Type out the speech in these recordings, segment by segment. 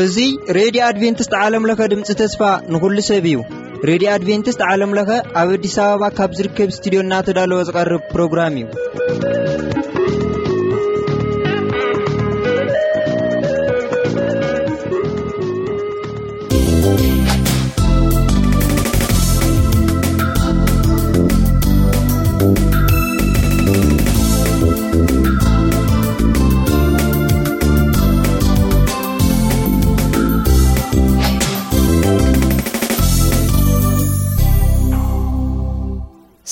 እዚ ሬድዮ ኣድቬንቲስት ዓለም ለኸ ድምፂ ተስፋ ንኹሉ ሰብ እዩ። ሬድዮ ኣድቬንቲስት ዓለም ለኸ ኣብ ኣዲስ ኣበባ ካብ ዝርከብ ስቱድዮ እናተዳለወ ዝቐርብ ፕሮግራም እዩ።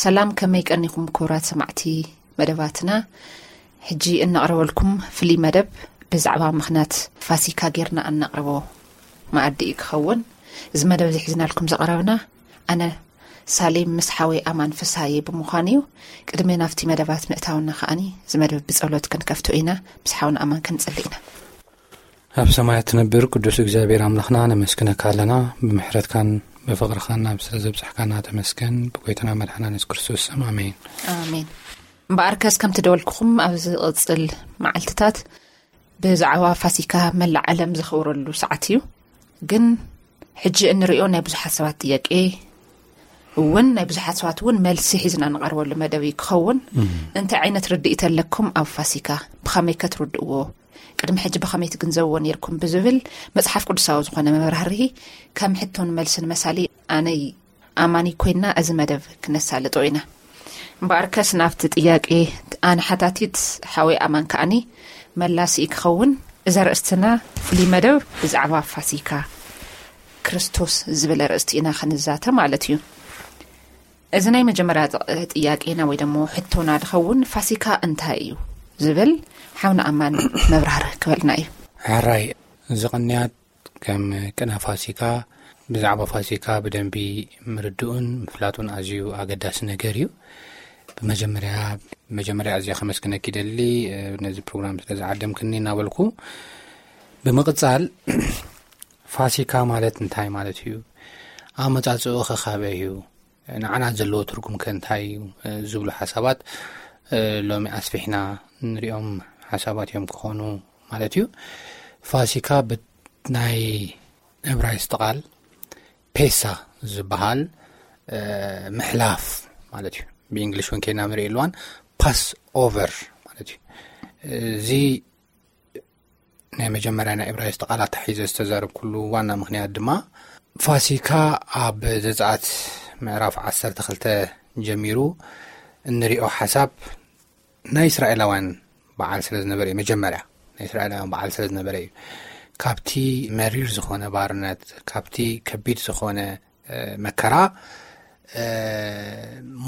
ሰላም፣ ከመይ ቀኒኹም ክቡራት ሰማዕቲ መደባትና? ሕጂ እነቕርበልኩም ፍሉይ መደብ ብዛዕባ ምኽንያት ፋሲካ ጌርና እነቕርቦ መኣዲ እዩ ክኸውን። እዚ መደብ እዚ ሒዝናልኩም ዝቐረብና ኣነ ሳሌም ምስ ሓወይ ኣማን ፍስሃየ ብምዃን እዩ። ቅድሚ ናብቲ መደባት ምእታውና ከኣኒ እዚ መደብ ብጸሎት ክንከፍቶ ኢና። ምስ ሓውና ኣማን ክንጽሊ ኢና። ኣብ ሰማያት ትነብር ቅዱስ እግዚኣብሔር ኣምላኽና ነመስግነካ ኣለና። ብምሕረትካን ብፍቕርኻን ናብ ስለ ዘብጻሕካና ተመስገን። ብጎይታና መድሓና የሱስ ክርስቶስ ስም ኣሜን። ኣሜን። እምበኣርከስ ከምቲ ደወልኩኹም ኣብ ዝቕጽል መዓልትታት ብዛዕባ ፋሲካ መላእ ዓለም ዘኽብረሉ ሰዓት እዩ። ግን ሕጂ እንርእዮ ናይ ብዙሓት ሰባት ጥያቄ እውን ናይ ብዙሓት ሰባት እውን መልሲ ሒዝና ንቐርበሉ መደብ እዩ ክኸውን። እንታይ ዓይነት ርድኢት ኣለኩም ኣብ ፋሲካ? ብኸመይ ከትርድእዎ? ቅድሚ ሕጂ ብኸመይ ትግንዘብዎ ነይርኩም ብዝብል መጽሓፍ ቅዱሳዊ ዝኾነ መብራህርሂ ከም ሕቶን መልስን መሳሊ ኣነይ ኣማኒ ኮይና እዚ መደብ ክነሳልጦ ኢና። እምበኣርከስ ናብቲ ጥያቄ ኣነ ሓታቲት ሓወይ ኣማን ከኣኒ መላሲ ክኸውን። እዚ ኣርእስትና ፍሉይ መደብ ብዛዕባ ፋሲካ ክርስቶስ ዝብል ኣርእስቲ ኢና ክንዛተ ማለት እዩ። እዚ ናይ መጀመርያ ጥ-፣ ጥያቄና ወይ ደሞ ሕቶና ዝኸውን ፋሲካ እንታይ እዩ ዝብል ሓውና ኣማን መብራህርሂ ክበልና እዩ። ሕራይ፣ እዚ ቅንያት ከም ቅነ ፋሲካ፣ ብዛዕባ ፋሲካ ብደንቢ ምርድኡን ምፍላጡን ኣዝዩ ኣገዳሲ ነገር እዩ። ብመጀመርያ፣ መጀመርያ ኣዝየ ከመስግነኪ ይደሊ፣ እ፣ ነዚ ፕሮግራም ስለ ዝዓደምክኒ እናበልኩ፣ ብምቕጻል ፋሲካ ማለት እንታይ ማለት እዩ? ኣመጻጽኡ ከ ካበይ እዩ? ንዓና ዘለዎ ትርጉም ከ እንታይ እዩ? እ፣ ዝብሉ ሓሳባት፣ እ፣ ሎሚ ኣስፊሕና ንሪኦም ሓሳባት እዮም ክኾኑ ማለት እዩ። ፋሲካ ብ-፣ ናይ ዕብራይስጥ ቃል ፔሳ ዝበሃል፣ እ፣ ምሕላፍ ማለት እዩ። ብእንግሊሽ እውን ከይና ንርኢ ኣለዋን ፓስ ኦቨር ማለት እዩ። እዚ ናይ መጀመርያ ናይ ዕብራይስጥ ቃላት ተሒዘ ዝተዛረብኩሉ ዋና ምኽንያት ድማ ፋሲካ ኣብ ዘጸኣት ምዕራፍ ዓሰርተ ክልተ ጀሚሩ እንሪኦ ሓሳብ ናይ እስራኤላውያን በዓል ስለ ዝነበረ እዩ። መጀመርያ ናይ እስራኤላውያን በዓል ስለ ዝነበረ እዩ። ካብቲ መሪር ዝኾነ ባርነት፣ ካብቲ ከቢድ ዝኾነ፣ እ፣ መከራ፣ እ፣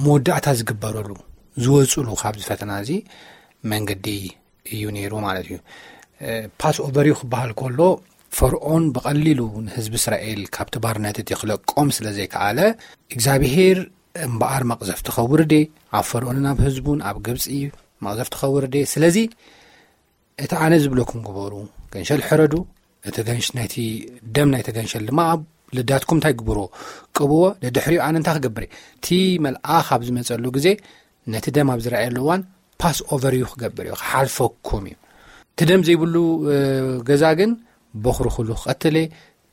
መወዳእታ ዝግበረሉ፣ ዝወፅሉ ካብዚ ፈተና እዚ መንገዲ እዩ ነይሩ ማለት እዩ። እ፣ ፓስ ኦቨር እዩ ክበሃል ከሎ፣ ፈርዖን ብቐሊሉ ንህዝቢ እስራኤል ካብቲ ባርነት እቲ ክለቆም ስለ ዘይከኣለ፣ እግዚኣብሄር እምበኣር መቕዘፍቲ ከውርድ እየ፣ ኣብ ፈርዖንን ኣብ ህዝቡን ኣብ ግብጺ መቕዘፍቲ ከውርድ እየ። ስለዚ እቲ ኣነ ዝብለኩም ግበሩ፣ ገንሸል ሕረዱ፣ እቲ ገንሽ-፣ ናይቲ ደም ናይቲ ገንሸል ድማ ኣብ ልዳትኩም እንታይ ግብርዎ? ቅብዎ። ደድሕሪኡ ኣነ እንታይ ክገብር እየ? እቲ መልኣኽ ኣብ ዝመጸሉ ግዜ ነቲ ደም ኣብ ዝረኣየሉ እዋን ፓስ ኦቨር እዩ ክገብር እዩ፣ ክሓልፈኩም እዩ። እቲ ደም ዘይብሉ፣ እ፣ ገዛ ግን በኹሪ ኩሉ ክቐትል እየ፣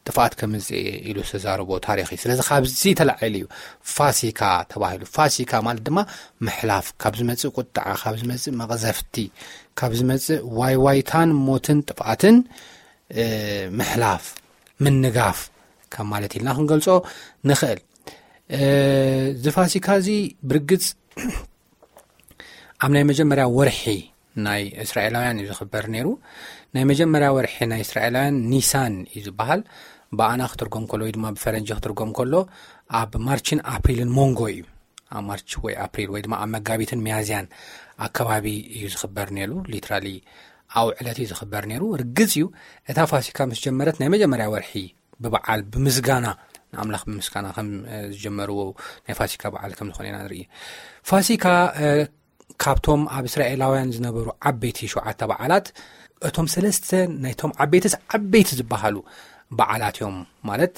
ጥፍኣት ከምጽእ እየ ኢሉ ዝተዛረቦ ታሪኽ እዩ። ስለዚ ካብዚ ተላዒሉ እዩ ፋሲካ ተባሂሉ። ፋሲካ ማለት ድማ ምሕላፍ፣ ካብ ዝመጽእ ቁጥዓ፣ ካብ ዝመጽእ መቕዘፍቲ፣ ካብ ዝመጽእ ዋይዋይታን ሞትን ጥፍኣትን፣ እ፣ ምሕላፍ፣ ምንጋፍ ካብ ማለት ኢልና ክንገልጾ ንኽእል። እ፣ እዚ ፋሲካ እዚ ብርግጽ ኣብ ናይ መጀመርያ ወርሒ ናይ እስራኤላውያን እዩ ዝኽበር ነይሩ። ናይ መጀመርያ ወርሒ ናይ እስራኤላውያን ኒሳን እዩ ዝበሃል። ብኣና ክትርጎም ከሎ ወይ ድማ ብፈረንጂ ክትርጎም ከሎ ኣብ ማርችን ኣፕሪልን መንጎ እዩ። ኣብ ማርች ወይ ኣፕሪል ወይ ድማ ኣብ መጋቢትን ሚያዝያን ኣከባቢ እዩ ዝኽበር ነይሩ። ሊትራሊ ኣብኡ ዕለት እዩ ዝኽበር ነይሩ። ርግጽ እዩ፣ እታ ፋሲካ ምስ ጀመረት ናይ መጀመርያ ወርሒ ብበዓል ብምስጋና፣ ንኣምላኽ ብምስጋና ከም፣ እ፣ ዝጀመርዎ ናይ ፋሲካ በዓል ከም ዝኾነ ኢና ንርኢ። ፋሲካ፣ እ፣ ካብቶም ኣብ እስራኤላውያን ዝነበሩ ዓበይቲ ሸውዓተ በዓላት፣ እቶም ሰለስተ ናይቶም ዓበይትስ ዓበይቲ ዝበሃሉ በዓላት እዮም። ማለት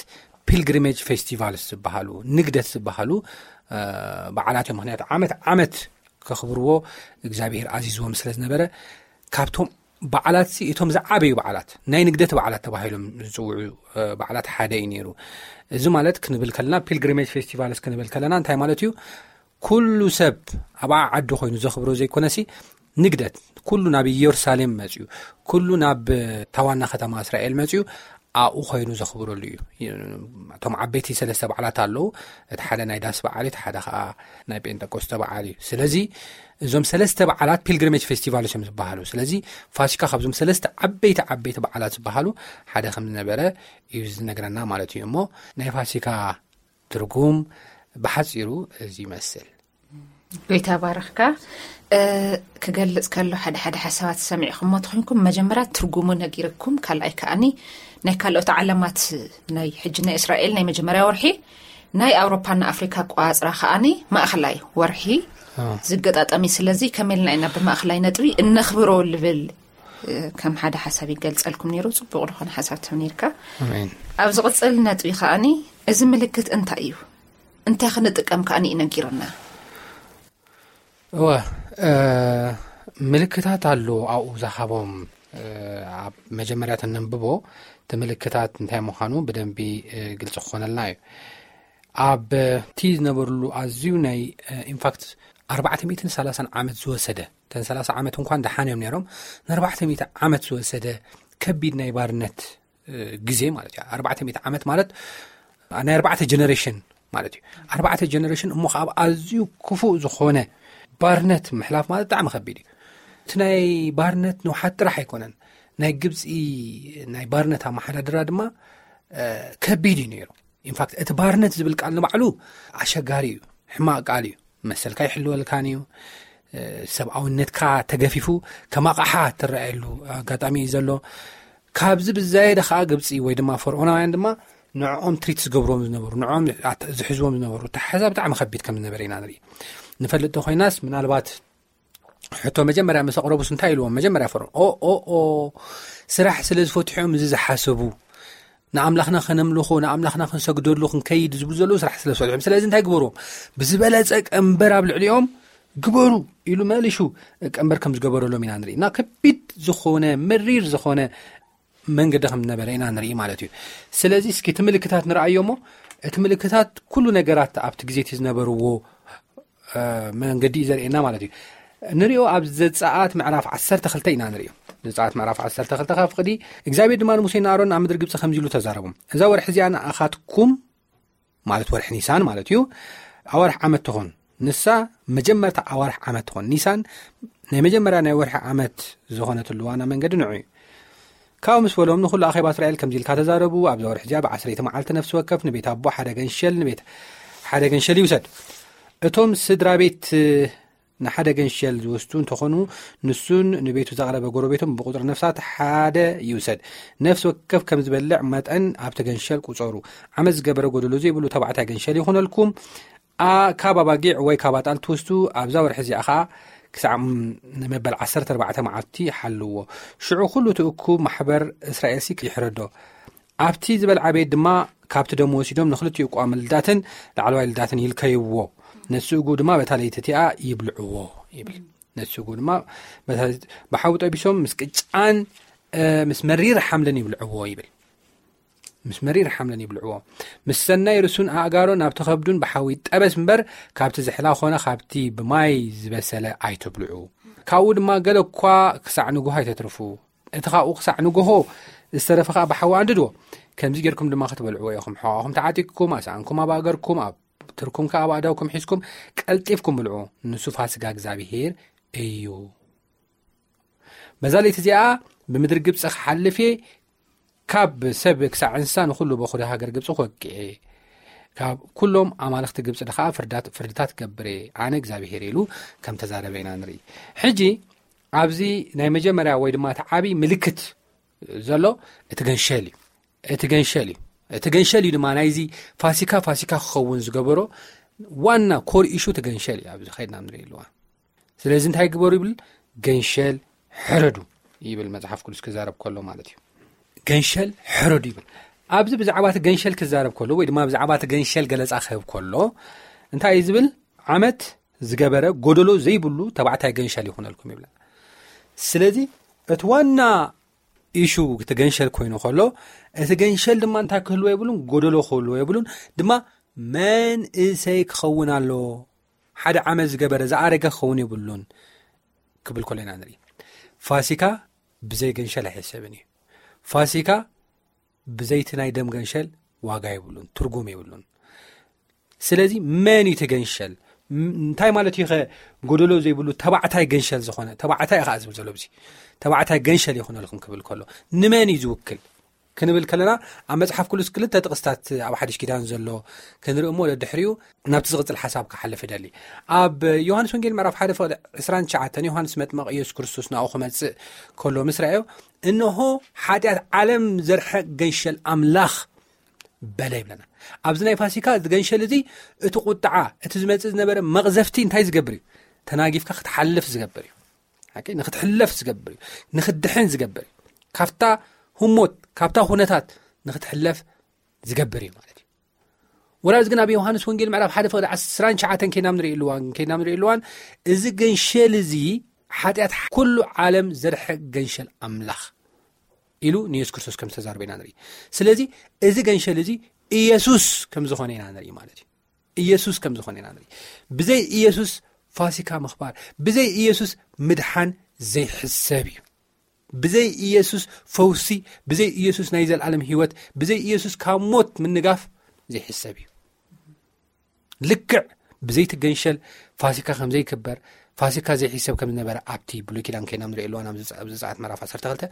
ፒልግሪሜጅ ፌስቲቫልስ ዝበሃሉ፣ ንግደት ዝበሃሉ በዓላት እዮም። ምክንያቱ ዓመት ዓመት ከኽብርዎ እግዚኣብሔር ኣዚዝዎም ስለ ዝነበረ፣ ካብቶም በዓላት ሲ እቶም ዝዓበዩ በዓላት፣ ናይ ንግደት በዓላት ተባሂሎም ዝፅውዑ በዓላት ሓደ እዩ ነይሩ። እዚ ማለት ክንብል ከለና፣ ፒልግሪሜጅ ፌስቲቫልስ ክንብል ከለና እንታይ ማለት እዩ? ኩሉ ሰብ ኣብ ዓዲ ኮይኑ ዘኽብሮ ዘይኮነሲ፣ ንግደት ኩሉ ናብ ኢየሩሳሌም መፅዩ፣ ኩሉ ናብ ታዋና ከተማ እስራኤል መፅዩ ኣብኡ ኮይኑ ዘኽብረሉ እዩ። እቶም ዓበይቲ ሰለስተ በዓላት ኣለዉ። እቲ ሓደ ናይ ዳስ በዓል እዩ፣ እቲ ሓደ ከዓ ናይ ጴንጠቆስተ በዓል እዩ። ስለዚ እዞም ሰለስተ በዓላት ፒልግሪሜጅ ፌስቲቫል እዮም ዝበሃሉ። ስለዚ ፋሲካ ካብዞም ሰለስተ ዓበይቲ ዓበይቲ በዓላት ዝበሃሉ ሓደ ከም ዝነበረ እዩ ዝነግረና ማለት እዩ። እሞ ናይ ፋሲካ ትርጉም ብሓፂሩ እዚ ይመስል። ጎይታ ባረኽካ። ክገልጽ ከሎ ሓደ ሓደ ሓሳባት ሰሚዕኹሞ ተኾይንኩም፣ መጀመርያ ትርጉሙ ነጊርኩም፣ ካልኣይ ከኣኒ ናይ ካልኦት ዓለማት፣ ናይ ሕጂ ናይ እስራኤል ናይ መጀመርያ ወርሒ፣ ናይ ኣውሮፓና ኣፍሪካ ኣቆጻጽራ ከኣኒ ማእኸላይ ወርሒ ዝገጣጠሚ። ስለዚ ከመልና ኢና ብማእኸላይ ነጥቢ እነኽብሮ ልብል ከም ሓደ ሓሳብ ይገልጸልኩም ነይሩ። ጽቡቕ ዝኾነ ሓሳብ ትም ነርካ። ኣብ ዝቕጽል ነጥቢ ከኣኒ፣ እዚ ምልክት እንታይ እዩ? እንታይ ክንጥቀም ከኣኒ እዩ ነጊርና? እወ፣ ምልክታት ኣሎ ኣብኡ ዝሃቦም። ኣብ መጀመርያ ተነንብቦ፣ እቲ ምልክታት እንታይ ምዃኑ ብደንቢ ግልፂ ክኾነልና እዩ። ኣብ እቲ ዝነበርሉ ኣዝዩ ናይ ኢንፋክት ኣርባዕተ ሚእትን ሰላሳን ዓመት ዝወሰደ፣ እተን ሰላሳ ዓመት እንኳን ደሓን እዮም ነይሮም፣ ንኣርባዕተ ሚእቲ ዓመት ዝወሰደ ከቢድ ናይ ባርነት ግዜ ማለት እዩ። ኣርባዕተ ሚእቲ ዓመት ማለት ናይ ኣርባዕተ ጀነሬሽን ማለት እዩ። ኣርባዕተ ጀነሬሽን እሞ ከዓ ኣብ ኣዝዩ ክፉእ ዝኾነ ባርነት ምሕላፍ ማለት ብጣዕሚ ከቢድ እዩ። እቲ ናይ ባርነት ንውሓት ጥራሕ ኣይኮነን፣ ናይ ግብፂ ናይ ባርነት ኣመሓዳድራ ድማ ከቢድ እዩ ነይሩ። ኢንፋክት እቲ ባርነት ዝብል ቃል ንባዕሉ ኣሸጋሪ እዩ፣ ሕማቕ ቃል እዩ። መሰልካ ይሕልወልካን እዩ። ሰብኣውነትካ ተገፊፉ ከም ኣቕሓ ትረኣየሉ ኣጋጣሚ እዩ ዘሎ። ካብዚ ብዛየደ ከዓ ግብፂ ወይ ድማ ፈርዖናውያን ድማ ንዕኦም ትሪት ዝገብርዎም ዝነበሩ፣ ንዕኦም ዝሕዝዎም ዝነበሩ ኣተሓሕዛ ብጣዕሚ ከቢድ ከም ዝነበረ ኢና ንርኢ። ንፈልጥ ተኮይናስ ምናልባት ሕቶ መጀመርያ ምስ ኣቕረቡስ እንታይ ኢልዎም? መጀመርያ ፈርዖን ኦ ኦ ኦ ስራሕ ስለ ዝፈትሑ እዮም እዚ ዝሓሰቡ። ንኣምላኽና ከነምልኾ፣ ንኣምላኽና ክንሰግደሉ ክንከይድ ዝብሉ ዘለዉ ስራሕ ስለ ዝፈትሑ እዮም። ስለዚ እንታይ ግበርዎም? ብዝበለጸ ቀንበር ኣብ ልዕሊኦም ግበሩ ኢሉ መሊሹ ቀንበር ከም ዝገበረሎም ኢና ንርኢ። እና ከቢድ ዝኾነ መሪር ዝኾነ መንገዲ ከም ዝነበረ ኢና ንርኢ ማለት እዩ። ስለዚ እስኪ እቲ ምልክታት ንርኣዮ እሞ፣ እቲ ምልክታት ኩሉ ነገራት ኣብቲ ግዜ እቲ ዝነበርዎ መንገዲ እዩ ዘርእየና ማለት እዩ። ንሪኦ ኣብ ዘፀኣት ምዕራፍ ዓሰርተ ክልተ ኢና ንሪኦ። ዘፀኣት ምዕራፍ ዓሰርተ ክልተ ካብ ፍቕዲ እግዚኣብሔር ድማ ንሙሴን ንኣሮን ኣብ ምድሪ ግብፂ ከምዚ ኢሉ ተዛረቦም፣ እዛ ወርሒ እዚኣ ንኣኻትኩም ማለት ወርሒ ኒሳን ማለት እዩ ኣዋርሕ ዓመት ትኾን። ንሳ መጀመርታ ኣዋርሕ ዓመት ትኾን። ኒሳን ናይ መጀመርያ ናይ ወርሒ ዓመት ዝኾነትሉ ዋና መንገዲ ንዑ እዩ። ካብኡ ምስ በሎም ንኹሉ ኣኼባ እስራኤል ከምዚ ኢልካ ተዛረቡ፣ ኣብዛ ወርሒ እዚኣ ብዓሰርይቲ መዓልቲ ነፍሲ ወከፍ ንቤት ኣቦ ሓደ ገንሸል፣ ንቤት ሓደ ገንሸል ይውሰድ። እቶም ስድራ ቤት ንሓደ ገንሸል ዝወስዱ እንተኾኑ፣ ንሱን ንቤቱ ዘቕረበ ጎረቤቶም ብቁፅሪ ነፍሳት ሓደ ይውሰድ። ነፍሲ ወከፍ ከም ዝበልዕ መጠን ኣብቲ ገንሸል ቁፀሩ። ዓመት ዝገበረ ጎደሎ ዘይብሉ ተባዕታይ ገንሸል ይኹነልኩም። ካብ ኣባጊዕ ወይ ካብ ኣጣል ትወስዱ ኣብዛ ወርሒ እዚኣ ኸዓ ክሳዕ መበል ዓሰርተ ኣርባዕተ መዓልቲ ሓልዎ። ሽዑ ኩሉ እቲ እኩብ ማሕበር እስራኤልሲ ይሕረዶ። ኣብቲ ዝበልዓ ቤት ድማ ካብቲ ደም ወሲዶም ንኽልቲኡ ቋሚ ልዳትን ላዕለዋይ ልዳትን ይልከይዎ። ነቲ ስእጉ ድማ በታ ለይቲ እቲኣ ይብልዕዎ ይብል። ነቲ ስእጉ ድማ በታ ለይቲ ብሓዊ ጠቢሶም ምስ ቅጫን ምስ መሪር ሓምልን ይብልዕዎ ይብል። ምስ መሪር ሓምልን ይብልዕዎ። ምስ ሰናይ ርእሱን ኣእጋሮን ኣብቲ ከብዱን ብሓዊ ይጠበስ እምበር፣ ካብቲ ዝሕላ ኾነ ካብቲ ብማይ ዝበሰለ ኣይትብልዑ። ካብኡ ድማ ገለ እኳ ክሳዕ ንግሆ ኣይተትርፉ። እቲ ካብኡ ክሳዕ ንግሆ ዝተረፈ ኸዓ ብሓዊ ኣንድድዎ። ከምዚ ጌርኩም ድማ ክትበልዕዎ ኢኹም። ሕቖኹም ተዓጢቕኩም፣ ኣስኣንኩም ኣብ ኣእገርኩም፣ ኣብ ትርኩም ከኣ ኣብ ኣእዳውኩም ሒዝኩም ቀልጢፍኩም ብልዑ። ንሱ ፋሲጋ እግዚኣብሄር እዩ። በዛ ለይቲ እዚኣ ብምድሪ ግብፂ ክሓልፍ እየ፣ ካብ ሰብ ክሳዕ እንስሳ ንኹሉ በኹሪ ሃገር ግብፂ ክወቅዕ እየ። ካብ ኩሎም ኣማልኽቲ ግብፂ ድኸዓ ፍርዳት-፣ ፍርድታት ክገብር እየ፣ ኣነ እግዚኣብሄር ኢሉ ከም ተዛረበ ኢና ንርኢ። ሕጂ ኣብዚ ናይ መጀመርያ ወይ ድማ እቲ ዓብዪ ምልክት ዘሎ እቲ ገንሸል እዩ። እቲ ገንሸል እዩ። እቲ ገንሸል እዩ ድማ ናይዚ ፋሲካ ፋሲካ ክኸውን ዝገበሮ ዋና ኮር ኢሹ እቲ ገንሸል እዩ። ኣብዚ ኸይድና ንርኢ ኣለዋ። ስለዚ እንታይ ግበሩ ይብል? ገንሸል ሕረዱ ይብል መጽሓፍ ቅዱስ ክዛረብ ከሎ ማለት እዩ። ገንሸል ሕረዱ ይብል። ኣብዚ ብዛዕባ እቲ ገንሸል ክዛረብ ከሎ ወይ ድማ ብዛዕባ እቲ ገንሸል ገለጻ ክህብ ከሎ እንታይ እዩ ዝብል? ዓመት ዝገበረ ጎደሎ ዘይብሉ ተባዕታይ ገንሸል ይኹነልኩም ይብለና። ስለዚ እቲ ዋና ኢሹ እቲ ገንሸል ኮይኑ ከሎ፣ እቲ ገንሸል ድማ እንታይ ክህልዎ የብሉን? ጎደሎ ክህልዎ የብሉን። ድማ መንእሰይ ክኸውን ኣሎ። ሓደ ዓመት ዝገበረ ዝኣረገ ክኸውን የብሉን ክብል ከሎ ኢና ንርኢ። ፋሲካ ብዘይ ገንሸል ኣይሕሰብን እዩ። ፋሲካ ብዘይቲ ናይ ደም ገንሸል ዋጋ የብሉን፣ ትርጉም የብሉን። ስለዚ መን እዩ እቲ ገንሸል? ም-፣ እንታይ ማለት እዩ ኸ? ጎደሎ ዘይብሉ ተባዕታይ ገንሸል ዝኾነ ተባዕታይ ኢኻ ዝብል ዘሎ። ብዚ ተባዕታይ ገንሸል ይኹነልኩም ክብል ከሎ ንመን እዩ ዝውክል ክንብል ከለና፣ ኣብ መጽሓፍ ቅዱስ ክልተ ጥቕስታት ኣብ ሓድሽ ኪዳን ዘሎ ክንርኢ እሞ፣ ደድሕሪኡ ናብቲ ዝቕጽል ሓሳብ ክሓልፍ እደሊ። ኣብ ዮሃንስ ወንጌል ምዕራፍ ሓደ ፍቕዲ ዕስራን ትሽዓተን፣ ዮሃንስ መጥመቕ ኢየሱስ ክርስቶስ ናብኡ ክመጽእ ከሎ ምስ ረኣዮ፣ "እንሆ ሓጢኣት ዓለም ዘርሕቕ ገንሸል ኣምላኽ" በለ ይብለና። ኣብዚ ናይ ፋሲካ እዚ ገንሸል እዚ፣ እቲ ቁጥዓ፣ እቲ ዝመጽእ ዝነበረ መቕዘፍቲ እንታይ ዝገብር እዩ? ተናጊፍካ ክትሓልፍ ዝገብር እዩ። ሓቂ ንክትሕለፍ ዝገብር እዩ። ንክትድሕን ዝገብር እዩ። ካብታ ህሞት፣ ካብታ ኩነታት ንክትሕለፍ ዝገብር እዩ ማለት እዩ። ወላ እዚ ግን ኣብ ዮሃንስ ወንጌል ምዕራፍ ሓደ ፍቕዲ ዕስራን ትሽዓተን ከይና ንርእየሉ እዋን፣ ከይና ንርእየሉ እዋን፣ እዚ ገንሸል እዚ ሓጢኣት ኩሉ ዓለም ዘርሕቕ ገንሸል ኣምላኽ ኢሉ ንየሱስ ክርስቶስ ከም ዝተዛረበ ኢና ንርኢ። ስለዚ እዚ ገንሸል እዚ ኢየሱስ ከም ዝኾነ ኢና ንርኢ ማለት እዩ። ኢየሱስ ከም ዝኾነ ኢና ንርኢ። ብዘይ ኢየሱስ ፋሲካ ምኽባር፣ ብዘይ ኢየሱስ ምድሓን ዘይሕሰብ እዩ። ብዘይ ኢየሱስ ፈውሲ፣ ብዘይ ኢየሱስ ናይ ዘላለም ህይወት፣ ብዘይ ኢየሱስ ካብ ሞት ምንጋፍ ዘይሕሰብ እዩ። ልክዕ ብዘይቲ ገንሸል ፋሲካ ከም ዘይክበር፣ ፋሲካ ዘይሕሰብ ከም ዝነበረ ኣብቲ ብሉይ ኪዳን ከይና ንርእየሉ እዋን፣ ኣብ ዘጸ-፣ ኣብ ዘጸኣት ምዕራፍ ዓሰርተ ክልተ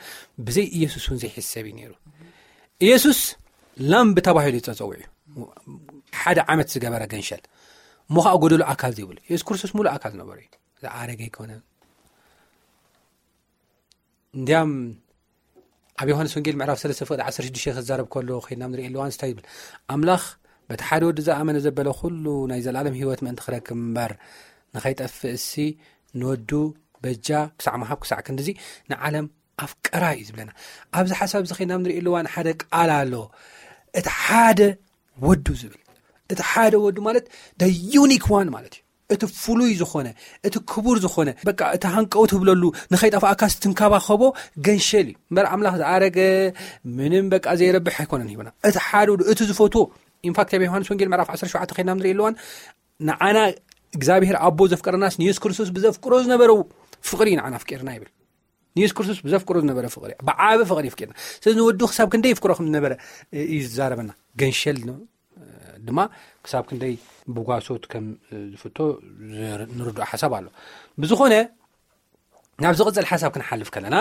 ብዘይ ኢየሱስ እውን ዘይሕሰብ እዩ ነይሩ። ኢየሱስ ላምብ ተባሂሉ ተጸዊዑ እዩ። ሓደ ዓመት ዝገበረ ገንሸል፣ እሞ ኸኣ ጎደሎ ኣካል ዘይብሉ። ኢየሱስ ክርስቶስ ሙሉእ ኣካል ነበረ እዩ። ዝኣረገ ኣይኮነን። እንዲያም ኣብ ዮሃንስ ወንጌል ምዕራፍ ሰለስተ ፍቕዲ ዓሰርተ ሽዱሽተ ክዛረብ ከሎ ከይድና ንርኢ ኣለዋን እንታይ ይብል? ኣምላኽ በቲ ሓደ ወዲ ዝኣመነ ዘበለ ኩሉ ናይ ዘላለም ህይወት ምእንቲ ክረክብ እምበር ንኸይጠፍእ እሲ ንወዱ በጃ ክሳዕ ምሃብ ክሳዕ ክንድዚ ንዓለም ኣፍቀራ እዩ ዝብለና። ኣብዚ ሓሳብ እዚ ከይድና ንርኢ ኣለዋን ሓደ ቃል ኣሎ። እቲ ሓደ ወዱ ዝብል፣ እቲ ሓደ ወዱ ማለት the unique one ማለት እዩ። እቲ ፍሉይ ዝኾነ፣ እቲ ክቡር ዝኾነ፣ በቃ እቲ ሃንቀው ትብለሉ፣ ንኸይጠፍኣካ ትንከባኸቦ ገንሸል እዩ። እምበር ኣምላኽ ዝኣረገ ምንም በቃ ዘይረብሕ ኣይኮነን ሂብና። እቲ ሓደ ወዱ፣ እቲ ዝፈትዎ፣ ኢንፋክት ኣብ ዮሃንስ ወንጌል ምዕራፍ ዓሰርተ ሸውዓተ ከይድና ንርኢ ኣለዋን ንዓና እግዚኣብሔር ኣቦ ዘፍቀረናስ ንየሱስ ክርስቶስ ብዘፍቅሮ ዝነበረው ፍቕሪ እዩ ንዓና ኣፍቂርና ይብል። ንየሱስ ክርስቶስ ብዘፍቅሮ ዝነበረ ፍቕሪ፣ ብዓቢ ፍቕሪ ኣፍቂርና። ስለዚ ንወዱ ክሳብ ክንደይ ይፍቅሮ ከም ዝነበረ እዩ ዝዛረበና። ገንሸል ን-፣ ድማ ክሳብ ክንደይ ብጓሶት ከም ዝፍቶ ዝር-፣ ንርድኦ ሓሳብ ኣሎ። ብዝኾነ ናብ ዝቕጽል ሓሳብ ክንሓልፍ ከለና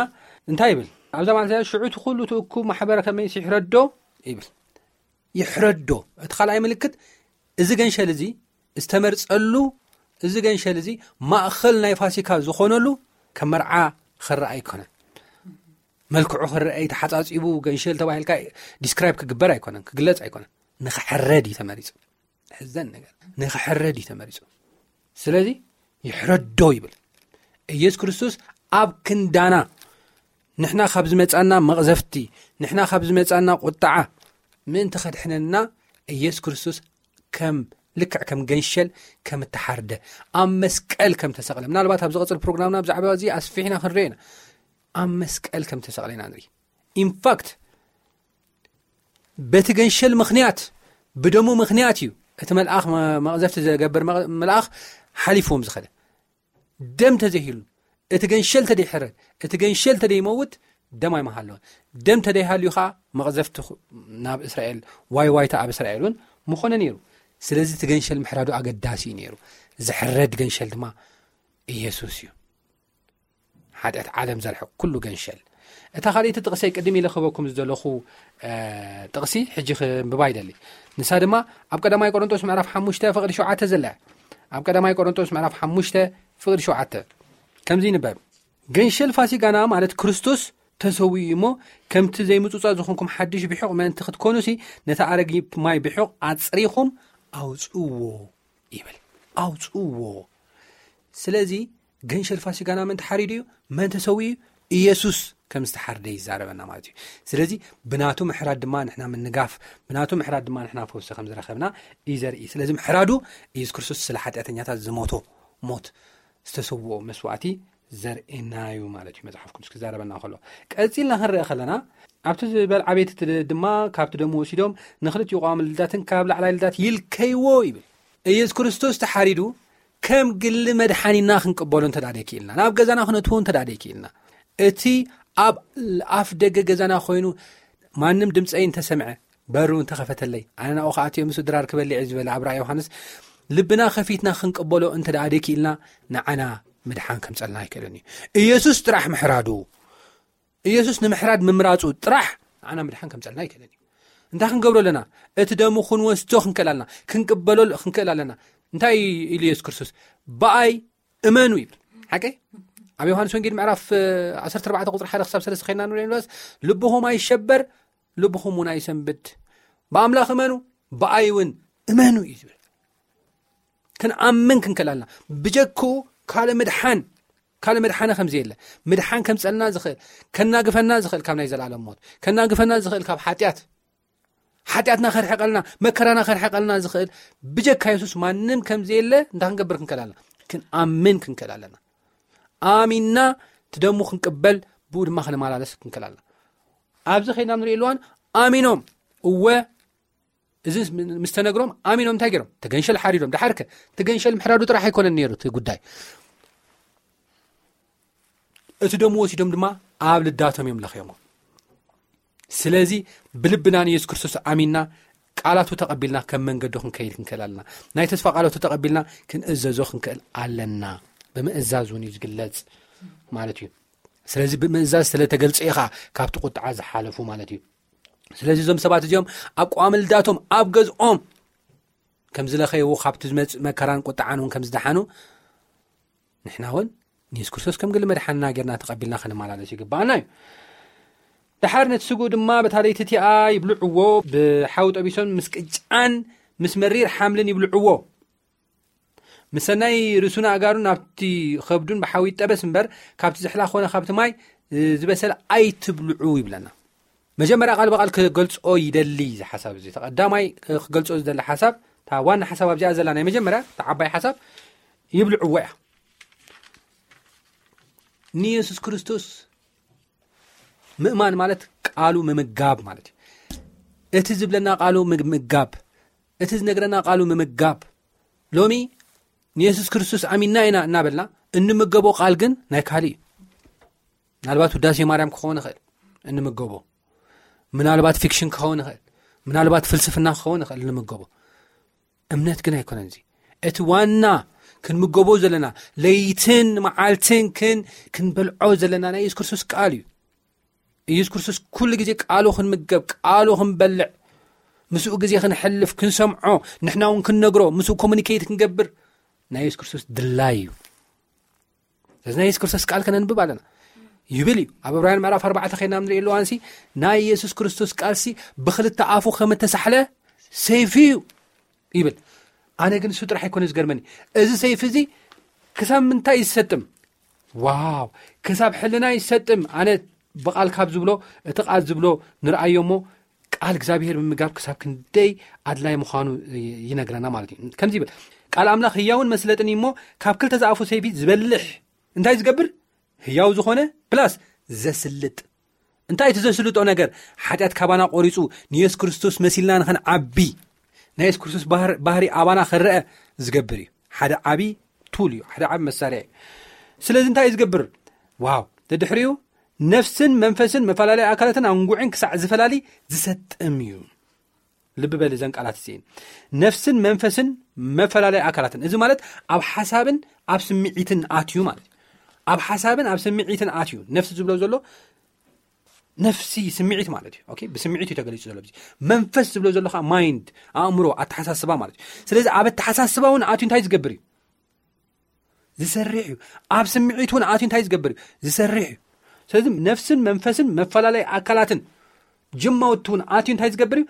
እንታይ ይብል? ኣብዛ ማለት ሽዑ እቲ ኩሉ እቲ እኩብ ማሕበረ ከመይስ ይሕረዶ ይብል። ይሕረዶ። እቲ ካልኣይ ምልክት እዚ ገንሸል እዚ ዝተመርጸሉ፣ እዚ ገንሸል እዚ ማእኸል ናይ ፋሲካ ዝኾነሉ ከም መርዓ ክረኣ ኣይኮነን። መልክዑ ክረአ ተሓጻጺቡ ገንሸል ተባሂልካ ዲስክራይብ ክግበር ኣይኮነን፣ ክግለጽ ኣይኮነን። ንኽሕረድ እዩ ተመሪጹ። ሕዘን ነገር ንኽሕረድ እዩ ተመሪጹ። ስለዚ ይሕረዶ ይብል። ኢየሱስ ክርስቶስ ኣብ ክንዳና፣ ንሕና ካብ ዝመጻና መቕዘፍቲ፣ ንሕና ካብ ዝመጻና ቁጥዓ ምእንቲ ከድሕነና ኢየሱስ ክርስቶስ ከም ልክዕ ከም ገንሸል ከም እተሓርደ፣ ኣብ መስቀል ከም ተሰቕለ፣ ምናልባት ኣብ ዝቐጽል ፕሮግራምና ብዛዕባ እዚ ኣስፊሕና ክንርኢ ኢና። ኣብ መስቀል ከም ተሰቕለ ኢና ንርኢ። ኢንፋክት በቲ ገንሸል ምኽንያት፣ ብደሙ ምኽንያት እዩ እቲ መልኣኽ መ-፣ መቕዘፍቲ ዘገብር መ-፣ መልኣኽ ሓሊፍዎም ዝኸደ። ደም ተዘይህሉ፣ እቲ ገንሸል ተደይሕረድ፣ እቲ ገንሸል ተደይመውት ደም ኣይመሃለወን። ደም ተደይሃልዩ ኸዓ መቕዘፍቲ ኹ-፣ ናብ እስራኤል፣ ዋይ ዋይታ ኣብ እስራኤል እውን ምኾነ ነይሩ። ስለዚ እቲ ገንሸል ምሕራዱ ኣገዳሲ እዩ ነይሩ። ዝሕረድ ገንሸል ድማ ኢየሱስ እዩ። ሓጢኣት ዓለም ዘርሕቕ ኩሉ ገንሸል። እታ ካልኣይቲ ጥቕሰይ ቅድም ኢለ ክህበኩም ዝደለኹ፣ እ፣ ጥቕሲ ሕጂ ክንብባ ይደሊ። ንሳ ድማ ኣብ ቀዳማይ ቆሮንቶስ ምዕራፍ ሓሙሽተ ፍቕዲ ሸውዓተ ዘላ እያ። ኣብ ቀዳማይ ቆሮንቶስ ምዕራፍ ሓሙሽተ ፍቕዲ ሸውዓተ ከምዚ ይንበብ። "ገንሸል ፋሲጋና ማለት ክርስቶስ ተሰዊኡ እሞ ከምቲ ዘይምጹጻ ዝኾንኩም ሓድሽ ብሑቕ ምእንቲ ክትኮኑሲ ነቲ ኣረጊት ማይ ብሑቕ ኣጽሪኹም ኣውጽእዎ" ይብል። ኣውጽእዎ። ስለዚ ገንሸል ፋሲጋና መን ተሓሪዱ እዩ? መን ተሰዊኡ እዩ? ኢየሱስ ከም ዝተሓርደ ይዛረበና ማለት እዩ። ስለዚ ብናቱ ምሕራድ ድማ ንሕና ምንጋፍ፣ ብናቱ ምሕራድ ድማ ንሕና ፈውሲ ከም ዝረኸብና እዩ ዘርኢ። ስለዚ ምሕራዱ ኢየሱስ ክርስቶስ ስለ ሓጢኣተኛታት ዝሞቶ ሞት፣ ዝተሰውኦ መስዋዕቲ ዘርእየና እዩ ማለት እዩ። መጽሓፍ ቅዱስ ክዛረበና ከሎ፣ ቀጺልና ክንርአ ከለና፣ ኣብቲ ዝበልዓ ቤት እቲ ድማ ካብቲ ደሙ ወሲዶም ንኽልቲኡ ቀዋሚ ልዳትን ካብ ላዕላይ ልዳት ይልከይዎ ይብል። ኢየሱስ ክርስቶስ ተሓሪዱ ከም ግሊ መድሓኒና ክንቅበሎ እንተ ደኣ ደይክኢልና፣ ናብ ገዛና ክነእትዎ እንተ ደኣ ደይክኢልና፣ እቲ ኣብ ኣፍ ደገ ገዛና ኮይኑ ማንም ድምፀይ እንተሰምዐ፣ በሩ እንተኸፈተለይ፣ ኣነ ናብኡ ክኣትዮ ምስ ድራር ክበልዕ እየ ዝበለ ኣብ ራእይ ዮሃንስ፣ ልብና ከፊትና ክንቅበሎ እንተ ደኣ ደይክኢልና፣ ንዓና ምድሓን ከምፀልና ኣይክእልን እዩ። ኢየሱስ ጥራሕ ምሕራዱ፣ ኢየሱስ ንምሕራድ ምምራፁ ጥራሕ ንዓና ምድሓን ከምፀልና ኣይክእልን እዩ። እንታይ ክንገብሮ ኣለና? እቲ ደሙ ክንወስዶ ክንክእል ኣለና፣ ክንቅበሎ ክንክእል ኣለና። እንታይ ኢሉ ኢየሱስ ክርስቶስ? ብኣይ እመኑ ይብል። ሓቀይ? ኣብ ዮሃንስ ወንጌል ምዕራፍ ዓሰርተ ኣርባዕተ ቁፅሪ ሓደ ክሳብ ሰለስተ ኸይና ንሪኦ ንበስ፣ ልብኹም ኣይሸበር፣ ልብኹም እውን ኣይሰንብድ። ብኣምላኽ እመኑ፣ ብኣይ እውን እመኑ እዩ ዝብል። ክንኣምን ክንክእል ኣለና። ብጀክኡ ካልእ ምድሓን፣ ካልእ ምድሓነ ከም ዘየለ፣ ምድሓን ከምፀልና ዝኽእል፣ ከናግፈና ዝኽእል ካብ ናይ ዘላለም ሞት፣ ከናግፈና ዝኽእል ካብ ሓጢኣት፣ ሓጢኣትና ከርሕቀልና፣ መከራና ከርሕቀልና ዝኽእል ብጀካ የሱስ ማንም ከም ዘየለ እንታይ ክንገብር ክንክእል ኣለና? ክንኣምን ክንክእል ኣለና። ኣሚንና እቲ ደሙ ክንቅበል፣ ብኡ ድማ ክንመላለስ ክንክእል ኣለና። ኣብዚ ኸይድና ንሪኦ ኣለዋን ኣሚኖም፣ እወ፣ እዚ ምስ ተነግሮም ኣሚኖም እንታይ ገይሮም? ተገንሸል ሓሪዶም። ደሓርከ ተገንሸል ምሕራዱ ጥራሕ ኣይኮነን ነይሩ እቲ ጉዳይ። እቲ ደሙ ወሲዶም ድማ ኣብ ልዳቶም እዮም ለኽዮሞ። ስለዚ ብልብና ንየሱስ ክርስቶስ ኣሚንና ቃላቱ ተቐቢልና ከም መንገዱ ክንከይድ ክንክእል ኣለና። ናይ ተስፋ ቃላቱ ተቐቢልና ክንእዘዞ ክንክእል ኣለና። ብምእዛዝ እውን እዩ ዝግለጽ ማለት እዩ። ስለዚ ብምእዛዝ ስለ ተገልጸ ኢኻ ካብቲ ቁጥዓ ዝሓለፉ ማለት እዩ። ስለዚ እዞም ሰባት እዚኦም ኣብ ቀዋሚ ልዳቶም ኣብ ገዝኦም ከም ዝለኸይዎ፣ ካብቲ ዝመጽእ መከራን ቁጥዓን እውን ከም ዝደሓኑ፣ ንሕና እውን ንየሱስ ክርስቶስ ከም ግሊ መድሓንና ጌርና ተቐቢልና ክንመላለስ ይግባኣና እዩ። ደሓር ነቲ ስግኡ ድማ በታ ለይቲ እቲኣ ይብልዕዎ፣ ብሓዊ ጠቢሶም ምስ ቅጫን ምስ መሪር ሓምልን ይብልዕዎ። ምስ ሰናይ ርእሱን ኣእጋሩን ናብቲ ኸብዱን ብሓዊ ይጠበስ እምበር፣ ካብቲ ዝሕላ ኾነ ካብቲ ማይ ዝበሰለ ኣይትብልዑ ይብለና። መጀመርያ ቃል ብቓል ክገልጾ ይደሊ እዚ ሓሳብ እዚ። እቲ ቀዳማይ ክገልጾ ዝደሊ ሓሳብ፣ እታ ዋና ሓሳብ ኣብዚኣ ዘላ ናይ መጀመርያ፣ እታ ዓባይ ሓሳብ፣ ይብልዕዎ እያ። ንየሱስ ክርስቶስ ምእማን ማለት ቃሉ ምምጋብ ማለት እዩ። እቲ ዝብለና ቃሉ ምምጋብ፣ እቲ ዝነግረና ቃሉ ምምጋብ። ሎሚ ንየሱስ ክርስቶስ ኣሚንና ኢና እናበልና እንምገቦ ቃል ግን ናይ ካልእ እዩ። ምናልባት ውዳሴ ማርያም ክኸውን ይኽእል እንምገቦ፣ ምናልባት ፊክሽን ክኸውን ይኽእል፣ ምናልባት ፍልስፍና ክኸውን ይኽእል እንምገቦ። እምነት ግን ኣይኮነን። እዚ እቲ ዋና ክንምገቦ ዘለና፣ ለይትን መዓልትን ክን ክንበልዖ ዘለና ናይ የሱስ ክርስቶስ ቃል እዩ። ኢየሱስ ክርስቶስ ኩሉ ግዜ ቃሉ ክንምገብ፣ ቃሉ ክንበልዕ፣ ምስኡ ግዜ ክንሕልፍ፣ ክንሰምዖ፣ ንሕና እውን ክንነግሮ፣ ምስኡ ኮሙኒኬት ክንገብር ናይ የሱስ ክርስቶስ ድላይ እዩ። ስለዚ ናይ የሱስ ክርስቶስ ቃል ከነንብብ ኣለና ይብል እዩ። ኣብ ዕብራውያን ምዕራፍ ኣርባዕተ ኸይና ንሪኦ ኣለዋንሲ፣ ናይ የሱስ ክርስቶስ ቃልሲ ብኽልተ ኣፉ ከም እተሳሕለ ሰይፊ እዩ ይብል። ኣነ ግን እሱ ጥራሕ ኣይኮነ ዝገርመኒ፣ እዚ ሰይፊ እዚ ክሳብ ምንታይ ይሰጥም? ዋው፣ ክሳብ ሕልና ይሰጥም። ኣነ ብቓል ካብ ዝብሎ፣ እቲ ቃል ዝብሎ ንርኣዮ እሞ፣ ቃል እግዚኣብሔር ምምጋብ ክሳብ ክንደይ ኣድላይ ምዃኑ ይነግረና ማለት እዩ። ከምዚ ይብል፣ ቃል ኣምላኽ ህያውን መስለጥን እዩ እሞ፣ ካብ ክልተ ዝኣፉ ሰይፊ ዝበልሕ እንታይ ዝገብር? ህያው ዝኾነ ፕላስ ዘስልጥ። እንታይ እቲ ዘስልጦ ነገር? ሓጢኣት ካባና ቆሪጹ ንየሱስ ክርስቶስ መሲልና ንኽንዓቢ፣ ናይ የሱስ ክርስቶስ ባህር-፣ ባህሪ ኣባና ክረአ ዝገብር እዩ። ሓደ ዓቢ ቱል እዩ፣ ሓደ ዓቢ መሳርያ እዩ። ስለዚ እንታይ እዩ ዝገብር? ዋው፣ ደድሕሪኡ ነፍስን መንፈስን መፈላለይ ኣካላትን ኣንጉዕን ክሳዕ ዝፈላሊ ዝሰጥም እዩ። ልቢ በል እዘን ቃላት እዚኤን። ነፍስን መንፈስን መፈላለይ ኣካላትን። እዚ ማለት ኣብ ሓሳብን ኣብ ስምዒትን ኣትዩ ማለት እዩ። ኣብ ሓሳብን ኣብ ስምዒትን ኣትዩ። ነፍሲ ዝብሎ ዘሎ ነፍሲ ስምዒት ማለት እዩ። ኦኬ፣ ብስምዒት እዩ ተገሊጹ ዘሎ። እዚ መንፈስ ዝብሎ ዘሎ ከዓ ማይንድ፣ ኣእምሮ፣ ኣተሓሳስባ ማለት እዩ። ስለዚ ኣብ ኣተሓሳስባ እውን ኣትዩ እንታይ ዝገብር እዩ? ዝሰርሕ እዩ። ኣብ ስምዒት እውን ኣትዩ እንታይ ዝገብር እዩ? ዝሰርሕ እዩ። ስለዚ ነፍስን መንፈስን መፈላለይ ኣካላትን ጅማውቲ እውን ኣትዩ እንታይ ዝገብር እዩ?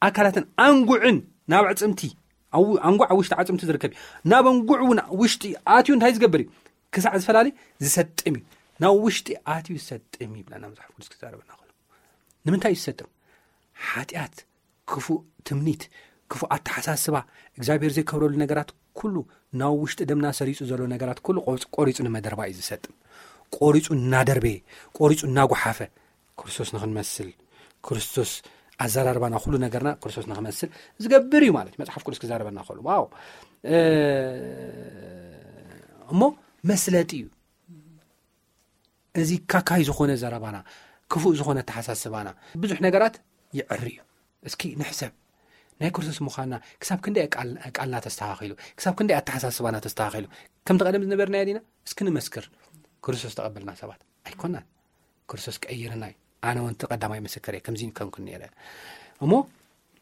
ኣካላትን ኣንጉዕን ናብ ኣዕጽምቲ፣ ኣው-፣ ኣንጉዕ ኣብ ውሽጢ ኣዕጽምቲ ዝርከብ እዩ። ናብ ኣንጉዕ እውን ውሽጢ ኣትዩ እንታይ ዝገብር እዩ? ክሳዕ ዝፈላሊ ዝሰጥም እዩ። ናብ ውሽጢ ኣትዩ ዝሰጥም ይብለና መጽሓፍ ቅዱስ ክዛረበና ከሎ። ንምንታይ እዩ ዝሰጥም? ሓጢኣት፣ ክፉእ ትምኒት፣ ክፉእ ኣተሓሳስባ፣ እግዚኣብሔር ዘይከብረሉ ነገራት ኩሉ፣ ናብ ውሽጢ ደምና ሰሪጹ ዘሎ ነገራት ኩሉ ቆጽ-፣ ቆሪጹ ንመደርባ እዩ ዝሰጥም። ቆሪጹ እናደርበየ፣ ቆሪጹ እናጓሓፈ፣ ክርስቶስ ንኽንመስል፣ ክርስቶስ ኣዘራርባና፣ ኩሉ ነገርና ክርስቶስ ንኽመስል ዝገብር እዩ ማለት እዩ። መጽሓፍ ቅዱስ ክዛረበና ከሎ፣ ዋው! እ፣ እሞ መስለጢ እዩ። እዚ ካካይ ዝኾነ ዘረባና፣ ክፉእ ዝኾነ ኣተሓሳስባና፣ ብዙሕ ነገራት ይዕሪ እዩ። እስኪ ንሕሰብ። ናይ ክርስቶስ ምዃንና ክሳብ ክንደይ ቃል-፣ ቃልና ተስተኻኺሉ፣ ክሳብ ክንደይ ኣተሓሳስባና ተስተኻኺሉ። ከምቲ ቀደም ዝነበርናዮ ዲና? እስኪ ንመስክር። ክርስቶስ ተቐበልና ሰባት ኣይኮናን። ክርስቶስ ቀይርና እዩ። ኣነ እውን እቲ ቀዳማይ ምስክር እየ። ከምዚ ከም ነይረ። እሞ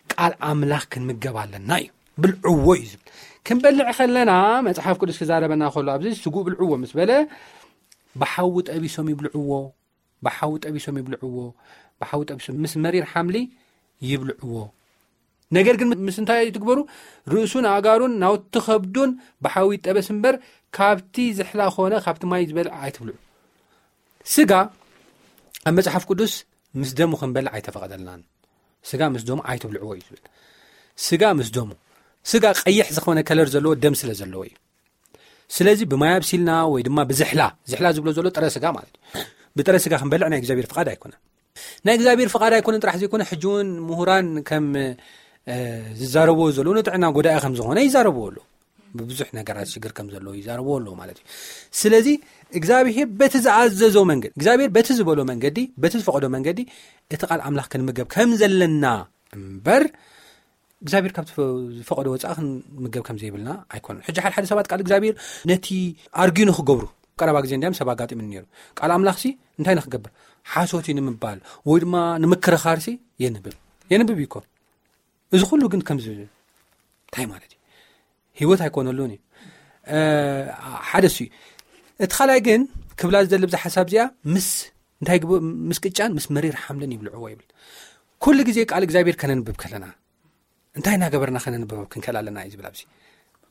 ቃል ኣምላኽ ክንምገብ ኣለና እዩ። ብልዕዎ እዩ ዝብል። ክንበልዕ ከለና መጽሓፍ ቅዱስ ክዛረበና ከሎ ኣብዚ ስጉእ ብልዕዎ ምስ በለ ብሓዊ ጠቢሶም ይብልዕዎ፣ ብሓዊ ጠቢሶም ይብልዕዎ፣ ብሓዊ ጠቢሶም ምስ መሪር ሓምሊ ይብልዕዎ። ነገር ግን ምስ እንታይ ትግበሩ? ርእሱን ኣእጋሩን ናውቲ ከብዱን ብሓዊ ይጠበስ እምበር ካብቲ ዝሕላ ኾነ ካብቲ ማይ ዝበልዕ ኣይትብልዑ። ስጋ ኣብ መጽሓፍ ቅዱስ ምስ ደሙ ክንበልዕ ኣይተፈቐደልናን። ስጋ ምስ ደሙ ኣይትብልዕዎ እዩ ዝብል። ስጋ ምስ ደሙ፣ ስጋ ቀይሕ ዝኾነ ከለር ዘለዎ ደም ስለ ዘለዎ እዩ። ስለዚ ብማይ ኣብሲልና ወይ ድማ ብዝሕላ፣ ዝሕላ ዝብሎ ዘሎ ጥረ ስጋ ማለት እዩ። ብጥረ ስጋ ክንበልዕ ናይ እግዚኣብሔር ፍቓድ ኣይኮነን። ናይ እግዚኣብሔር ፍቓድ ኣይኮነን ጥራሕ ዘይኮነ፣ ሕጂ እውን ምሁራን ከም፣ እ፣ ዝዛረብዎ ዘለዉ ንጥዕና ጎዳኢ ከም ዝኾነ ይዛረብዎ ኣለዉ። ብብዙሕ ነገራት ሽግር ከም ዘለዎ ይዛረብዎ ኣለዉ ማለት እዩ። ስለዚ እግዚኣብሔር በቲ ዝኣዘዞ መንገዲ፣ እግዚኣብሔር በቲ ዝበሎ መንገዲ፣ በቲ ዝፈቐዶ መንገዲ እቲ ቃል ኣምላኽ ክንምገብ ከም ዘለና እምበር እግዚኣብሔር ካብ ዝፈ-፣ ዝፈቐዶ ወጻኢ ክንምገብ ከም ዘይብልና ኣይኮነን። ሕጂ ሓደ ሓደ ሰባት ቃል እግዚኣብሔር ነቲ ኣርጊዩ ንኽገብሩ፣ ቀረባ ግዜ እንዲያም ሰብ ኣጋጢሙኒ ነይሩ። ቃል ኣምላኽሲ እንታይ ንኽገብር? ሓሶት እዩ ንምባል ወይ ድማ ንምክርኻርሲ የንብብ። የንብብ እዩ እኮ። እዚ ኩሉ ግን ከምዚ እንታይ ማለት እዩ? ህይወት ኣይኮነሉን እዩ። እ፣ ሓደ እሱ እዩ። እቲ ካልኣይ ግን ክብላ ዝደሊ ብዛ ሓሳብ እዚኣ ምስ እንታይ ግብ-፣ ምስ ቅጫን ምስ መሪር ሓምልን ይብልዕዎ ይብል። ኩሉ ግዜ ቃል እግዚኣብሔር ከነንብብ ከለና እንታይ እናገበርና ከነንብብ ክንክእል ኣለና እዩ ዝብል ኣብዚ።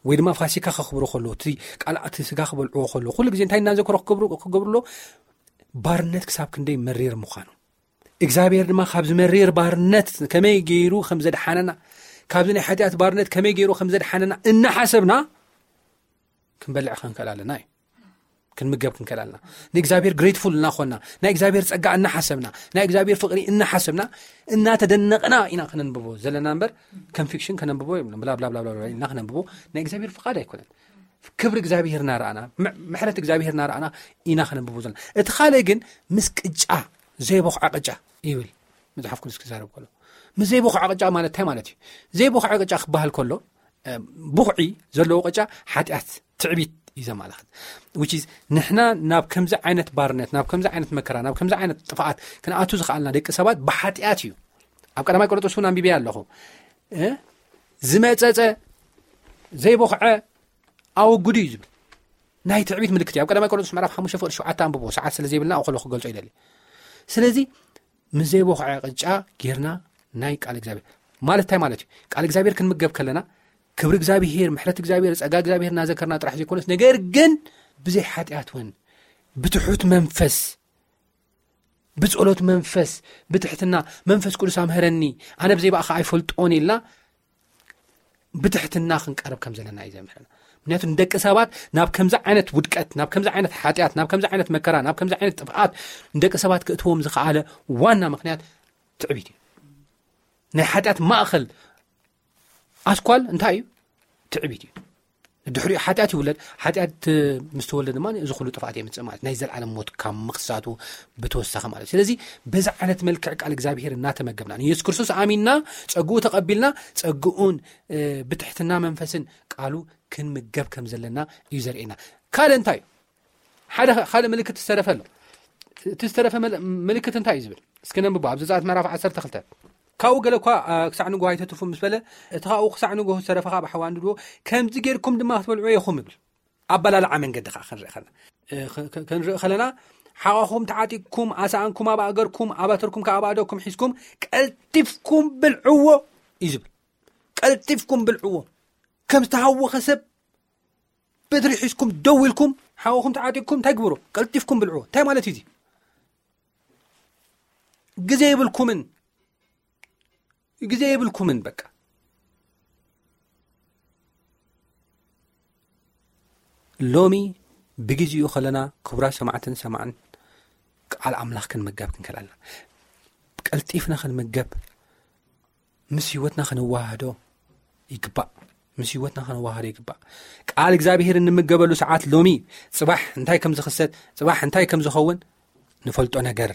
ወይ ድማ ፋሲካ ከኽብሩ ከሎ፣ እቲ ቃል እቲ ስጋ ክበልዕዎ ከሎ፣ ኩሉ ግዜ እንታይ እናዘከሩ ክገብሩ፣ ክገብሩ ኣሎ? ባርነት ክሳብ ክንደይ መሪር ምዃኑ። እግዚኣብሔር ድማ ካብዚ መሪር ባርነት ከመይ ገይሩ ከም ዘድሓነና፣ ካብዚ ናይ ሓጢኣት ባርነት ከመይ ገይሩ ከም ዘድሓነና እናሓሰብና ክንበልዕ ክንክእል ኣለና እዩ። ክንምገብ ክንክእል ኣለና። ንእግዚኣብሔር ግሬትፉል እናኾንና፣ ናይ እግዚኣብሔር ጸጋ እናሓሰብና፣ ናይ እግዚኣብሔር ፍቕሪ እናሓሰብና፣ እናተደነቕና ኢና ከነንብቦ ዘለና እምበር፣ ከም ፊክሽን ከነንብቦ የብልና። ብላ፣ ብላ፣ ብላ፣ ብላ፣ ብላ ኢልና ከነንብቦ ናይ እግዚኣብሔር ፍቓድ ኣይኮነን። ክብሪ እግዚኣብሔር እናረኣና፣ ም-፣ ምሕረት እግዚኣብሔር እናረኣና ኢና ከነንብቦ ዘለና። እቲ ካልእ ግን ምስ ቅጫ፣ ዘይቦኽዐ ቅጫ ይብል መጽሓፍ ቅዱስ ክዛረብ ከሎ። ምስ ዘይቦኽዐ ቅጫ ማለት እንታይ ማለት እዩ? ዘይቦኽዐ ቅጫ ክበሃል ከሎ፣ እ፣ ቡኽዒ ዘለዎ ቅጫ ሓጢኣት፣ ትዕቢት እዩ ዘመላኽት። Which is ንሕና ናብ ከምዚ ዓይነት ባርነት፣ ናብ ከምዚ ዓይነት መከራ፣ ናብ ከምዚ ዓይነት ጥፍኣት ክንኣቱ ዝኸኣልና ደቂ ሰባት ብሓጢኣት እዩ። ኣብ ቀዳማይ ቆሮንቶስ እውን ኣንቢበያ ኣለኹ። እ፣ ዝመጸጸ ዘይቦኽዐ ኣወግዱ እዩ ዝብል። ናይ ትዕቢት ምልክት እዩ። ኣብ ቀዳማይ ቆሮንቶስ ምዕራፍ ሓሙሽተ ፍቕዲ ሸውዓተ ኣንብቦ፣ ሰዓት ስለ ዘይብልና ኣብኡ ከሎ ክገልጾ ይደሊ። ስለዚ ምስ ዘይቦኽዐ ቅጫ ጌርና ናይ ቃል እግዚኣብሔር ማለት እንታይ ማለት እዩ? ቃል እግዚኣብሔር ክንምገብ ከለና ክብሪ እግዚኣብሔር፣ ምሕረት እግዚኣብሔር፣ ጸጋ እግዚኣብሔር እናዘከርና ጥራሕ ዘይኮነስ፣ ነገር ግን ብዘይ ሓጢኣት እውን ብትሑት መንፈስ፣ ብጸሎት መንፈስ፣ ብትሕትና፣ "መንፈስ ቅዱስ ኣምሀረኒ፣ ኣነ ብዘይ ብኣኻ ኣይፈልጦን" ኢልና ብትሕትና ክንቀርብ ከም ዘለና እዩ ዘምህረና። ምክንያቱ ንደቂ ሰባት ናብ ከምዚ ዓይነት ውድቀት፣ ናብ ከምዚ ዓይነት ሓጢኣት፣ ናብ ከምዚ ዓይነት መከራ፣ ናብ ከምዚ ዓይነት ጥፍኣት ንደቂ ሰባት ክእትዎም ዝኸኣለ ዋና ምክንያት ትዕቢት እዩ። ናይ ሓጢኣት ማእኸል ኣስኳል እንታይ እዩ? ትዕቢት እዩ። ድሕሪኡ ሓጢኣት ይውለድ። ሓጢኣት ምስ ተወልደ ድማ እዚ ኩሉ ጥፍኣት የምጽእ ማለት ናይ ዘልዓለም ሞት ካብ ምኽሳቱ ብተወሳኺ ማለት እዩ። ስለዚ በዚ ዓይነት መልክዕ ቃል እግዚኣብሔር እናተመገብና ንየሱስ ክርስቶስ ኣሚንና ጸግኡ ተቐቢልና ጸግኡን፣ እ፣ ብትሕትና መንፈስን ቃሉ ክንምገብ ከም ዘለና እዩ ዘርእየና። ካልእ እንታይ እዩ? ሓደ ኸ-፣ ካልእ ምልክት ዝተረፈ ኣሎ። እቲ ዝተረፈ መል-፣ ምልክት እንታይ እዩ ዝብል? እስኪ ነንብቦ። ኣብ ዘጸኣት ምዕራፍ ዓሰርተ ክልተ። ካብኡ ገለ እኳ፣ አ፣ ክሳዕ ንግሆ ኣይተትርፉ ምስ በለ፣ እቲ ካብኡ ክሳዕ ንግሆ ዝተረፈ ኸኣ ብሓዊ ኣንድድዎ፣ ከምዚ ጌርኩም ድማ ክትበልዕዎ ኢኹም ይብል። ኣበላልዓ መንገዲ ኸኣ ክንርኢ ኸለና፣ እ፣ ኸ-፣ ኸ-፣ ክንርኢ ኸለና፣ ሓቓኹም ተዓጢቕኩም፣ ኣሳእንኩም ኣብ ኣእገርኩም፣ ኣባትርኩም ከኣ ኣብ ኣእዳውኩም ሒዝኩም፣ ቀልጢፍኩም ብልዕዎ እዩ ዝብል። ቀልጢፍኩም ብልዕዎ። ከም ዝተሃወኸ ሰብ በትሪ ሒዝኩም ደው ኢልኩም ሓውኹም ተዓጢቕኩም እንታይ ግብሩ? ቀልጢፍኩም ብልዑ። እንታይ ማለት እዩ እዚ? ግዜ የብልኩምን፣ ግዜ የብልኩምን። በቃ ሎሚ ብግዜኡ ከለና፣ ክቡራት ሰማዕትን ሰማዕን፣ ቃል ኣምላኽ ክንምገብ ክንክእል ኣለና። ቀልጢፍና ክንምገብ፣ ምስ ህይወትና ክንዋሃዶ ይግባእ። ምስ ህይወትና ክንዋሃዶ ይግባእ። ቃል እግዚኣብሔር እንምገበሉ ሰዓት ሎሚ፣ ጽባሕ እንታይ ከም ዝኽሰት፣ ጽባሕ እንታይ ከም ዝኸውን ንፈልጦ ነገር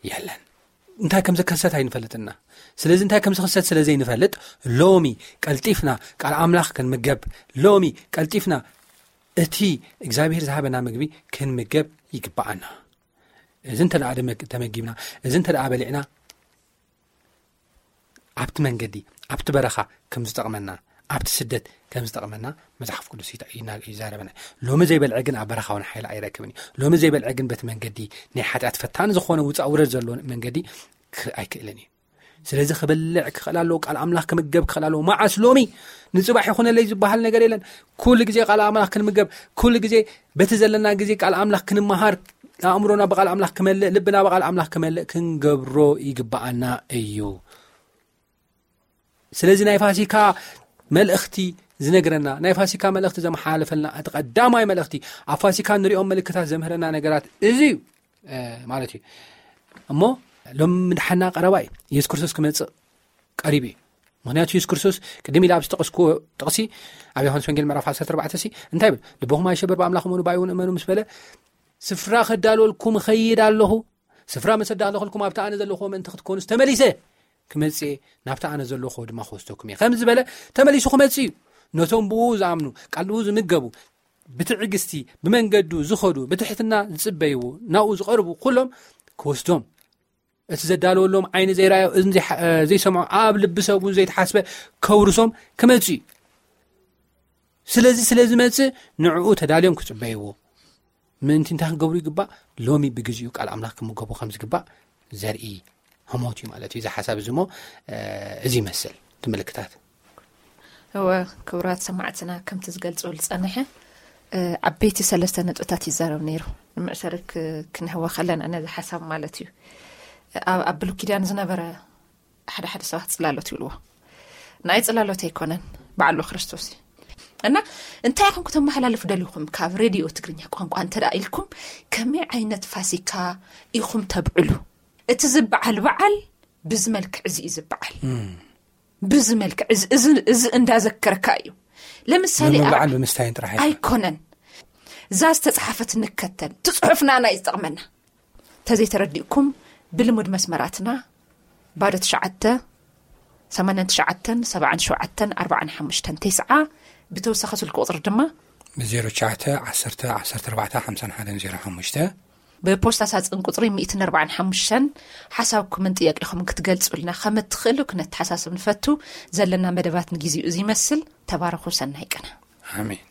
የለን። እንታይ ከም ዝከሰት ኣይንፈልጥና። ስለዚ እንታይ ከም ዝኽሰት ስለ ዘይንፈልጥ፣ ሎሚ ቀልጢፍና ቃል ኣምላኽ ክንምገብ፣ ሎሚ ቀልጢፍና እቲ እግዚኣብሔር ዝሃበና ምግቢ ክንምገብ ይግባኣና። እዚ እንተ ደኣ ደመግ-፣ ተመጊብና፣ እዚ እንተ ደኣ በሊዕና፣ ኣብቲ መንገዲ፣ ኣብቲ በረኻ ከም ዝጠቕመና፣ ኣብቲ ስደት ከም ዝጠቕመና መጽሓፍ ቅዱስ ይተ-፣ ይና-፣ ይዛረበና። ሎሚ ዘይበልዐ ግን ኣብ በረኻ እውን ሓይሊ ኣይረክብን እዩ። ሎሚ ዘይበልዐ ግን በቲ መንገዲ፣ ናይ ሓጢኣት ፈታኒ ዝኾነ ውጻእ ውረድ ዘለዎ መንገዲ ክ-፣ ኣይክእልን እዩ። ስለዚ ክበልዕ ክኽእል ኣለዎ፣ ቃል ኣምላኽ ክምገብ ክኽእል ኣለዎ። መዓስ? ሎሚ። ንጽባሕ ይኹነለይ ዝበሃል ነገር የለን። ኩሉ ግዜ ቃል ኣምላኽ ክንምገብ፣ ኩሉ ግዜ በቲ ዘለና ግዜ ቃል ኣምላኽ ክንመሃር፣ ኣእምሮና ብቃል ኣምላኽ ክመልእ፣ ልብና ብቃል ኣምላኽ ክመልእ ክንገብሮ ይግባኣና እዩ። ስለዚ ናይ ፋሲካ መልእኽቲ ዝነግረና፣ ናይ ፋሲካ መልእኽቲ ዘመሓላለፈልና፣ እቲ ቀዳማይ መልእኽቲ፣ ኣብ ፋሲካ ንሪኦም ምልክታት ዘምህረና ነገራት እዚ እዩ፣ እ፣ ማለት እዩ። እሞ ሎም ምድሓና ቀረባ እዩ። የሱስ ክርስቶስ ክመጽእ ቀሪቡ እዩ። ምኽንያቱ የሱስ ክርስቶስ ቅድም ኢለ ኣብ ዝጠቐስኩዎ ጥቕሲ፣ ኣብ ዮሃንስ ወንጌል ምዕራፍ ዓሰርተ ኣርባዕተ ሲ እንታይ ይብል? "ልብኹም ኣይሸበር፣ ብኣምላኽ እመኑ፣ ብኣይ እውን እመኑ" ምስ በለ፣ "ስፍራ ከዳልወልኩም እኸይድ ኣለኹ። ስፍራ ምስ ኣዳለኹልኩም ኣብቲ ኣነ ዘለኹዎ ምእንቲ ክትኮኑስ ተመሊሰ ክመጽእ እየ፣ ናብቲ ኣነ ዘለኹዎ ድማ ክወስደኩም እየ" ከም ዝበለ፣ ተመሊሱ ክመጽእ እዩ። ነቶም ብኡ ዝኣምኑ፣ ቃል ብኡ ዝምገቡ፣ ብትዕግስቲ ብመንገዱ ዝኸዱ፣ ብትሕትና ዝጽበይዎ፣ ናብኡ ዝቐርቡ ኩሎም ክወስዶም፣ እቲ ዘዳለወሎም ዓይኒ ዘይረኣዮ፣ እዝኒ ዘይሓ-፣ ዘይሰምዖ፣ ኣብ ልቢ ሰብ እውን ዘይተሓስበ ከውርሶም ክመጽእ እዩ። ስለዚ ስለ ዝመጽእ ንዕኡ ተዳልዮም ክጽበይዎ ምእንቲ እንታይ ክገብሩ ይግባእ? ሎሚ ብግዚኡ ቃል ኣምላኽ ክምገቡ ከም ዝግባእ ዘርኢ ህሞት እዩ ማለት እዩ። እዚ ሓሳብ እዚ እሞ፣ እ፣ እዚ ይመስል እቲ ምልክታት። እወ፣ ክቡራት ሰማዕትና ከምቲ ዝገልጾ ዝጸንሐ፣ እ፣ ዓበይቲ ሰለስተ ነጥብታት ይዛረብ ነይሩ። ንምእሰሪ ክ-፣ ክንህወ ከለና ነዚ ሓሳብ ማለት እዩ። ኣብ፣ ኣብ ብሉይ ኪዳን ዝነበረ ሓደ ሓደ ሰባት ጽላሎት ይብልዎ። ናይ ጽላሎት ኣይኮነን፣ ባዕሉ ክርስቶስ እዩ። እና እንታይ ኢኹም ክተመሓላልፉ ደሊኹም ካብ ሬድዮ ትግርኛ ቋንቋ እንተ ደኣ ኢልኩም፣ ከመይ ዓይነት ፋሲካ ኢኹም ተብዕሉ? እቲ ዝበዓል በዓል ብዚ መልክዕ እዚ እዩ ዝበዓል። እም። ብዚ መልክዕ እዚ፣ እዚ፣ እዚ እንዳዘከርካ እዩ። ለምሳሌ፣ ብምብላዕን ኣብ ብምስታይን ጥራሕ ኣይኮነን። ኣይኮነን። እዛ ዝተጻሓፈት ንከተል፣ እቲ ጽሑፍ ናና እዩ ዝጠቕመና። ተዘይተረዲእኩም፣ ብልሙድ መስመራትና፣ ባዶ ትሽዓተ፣ ሰማንያን ትሽዓተን፣ ሰብዓን ሸውዓተን፣ ኣርባዓን ሓሙሽተን፣ ተስዓ፣ ብተወሳኺ ስልኪ ቁጽሪ ድማ፣ ብ ዜሮ ትሽዓተ፣ ዓሰርተ፣ ዓሰርተ ኣርባዕተ፣ ሓምሳን ሓደን ዜሮ ሓሙሽተ። ብፖስታ ሳጽን ቁጽሪ ሚእትን ኣርባዓን ሓሙሽተን፣ ሓሳብኩምን ጥያቄኹምን ክትገልጹልና ከም እትኽእሉ ክነተሓሳስብ ንፈቱ። ዘለና መደባት ንግዜኡ እዚ ይመስል። ተባረኹ፣ ሰናይ ቅነ። ኣሜን።